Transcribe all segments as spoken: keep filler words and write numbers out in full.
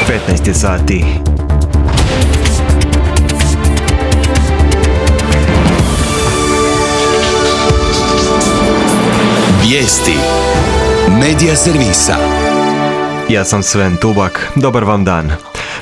petnaest je sati. Vijesti Medija servisa. Ja sam Sven Tubak, dobar vam dan.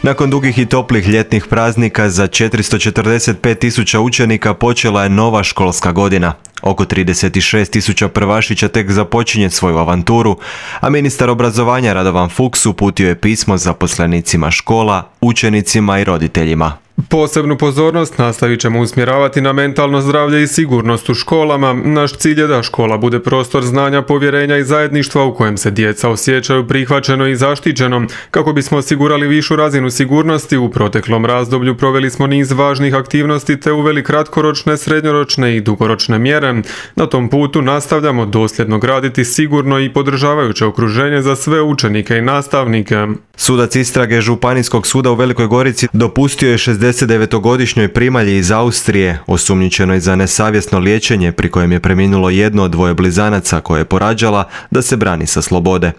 Nakon dugih i toplih ljetnih praznika za četiristo četrdeset pet tisuća učenika počela je nova školska godina. Oko trideset šest tisuća prvašića tek započinje svoju avanturu, a ministar obrazovanja Radovan Fuchs uputio je pismo zaposlenicima škola, učenicima i roditeljima. Posebnu pozornost nastavit ćemo usmjeravati na mentalno zdravlje i sigurnost u školama. Naš cilj je da škola bude prostor znanja, povjerenja i zajedništva u kojem se djeca osjećaju prihvaćeno i zaštićeno. Kako bismo osigurali višu razinu sigurnosti, u proteklom razdoblju proveli smo niz važnih aktivnosti te uveli kratkoročne, srednjoročne i dugoročne mjere. Na tom putu nastavljamo dosljedno graditi sigurno i podržavajuće okruženje za sve učenike i nastavnike. Sudac istrage Županijskog suda u Velikoj Gorici dopustio je šezdesetdevetogodišnjoj primalji iz Austrije, osumnjičenoj za nesavjesno liječenje pri kojem je preminulo jedno od dvoje blizanaca koje je porađala, da se brani sa slobode.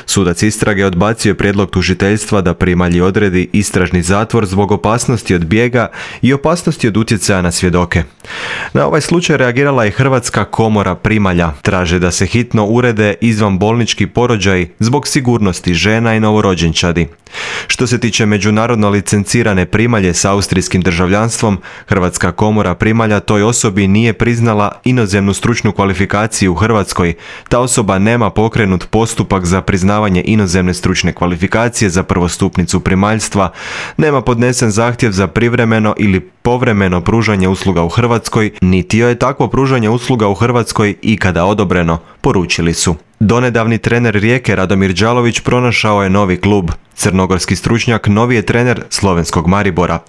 Sudac istrage odbacio je prijedlog tužiteljstva da primalji odredi istražni zatvor zbog opasnosti od bijega i opasnosti od utjecaja na svjedoke. Na ovaj slučaj reagirala je Hrvatska komora primalja. Traže da se hitno urede izvanbolnički porođaji zbog sigurnosti žena i novorođenčadi. Što se tiče međunarodno licencirane primalje s austrijskim državljanstvom, Hrvatska komora primalja toj osobi nije priznala inozemnu stručnu kvalifikaciju u Hrvatskoj. Ta osoba nema pokrenut postupak za priznavanje inozemne stručne kvalifikacije za prvostupnicu primaljstva, nema podnesen zahtjev za privremeno ili povremeno pružanje usluga u Hrvatskoj, niti joj je takvo pružanje usluga u Hrvatskoj ikada odobreno, poručili su. Donedavni trener Rijeke Radomir Đalović pronašao je novi klub. Crnogorski stručnjak novi je trener slovenskog Maribora.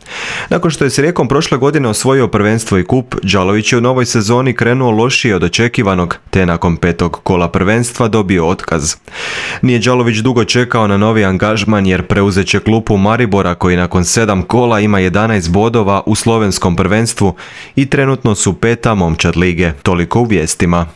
Nakon što je s Rijekom prošle godine osvojio prvenstvo i kup, Đalović je u novoj sezoni krenuo lošije od očekivanog, te nakon petog kola prvenstva dobio otkaz. Nije Đalović dugo čekao na novi angažman jer preuzet će klupu Maribora koji nakon sedam kola ima jedanaest bodova u slovenskom prvenstvu i trenutno su peta momčad lige. Toliko u vijestima.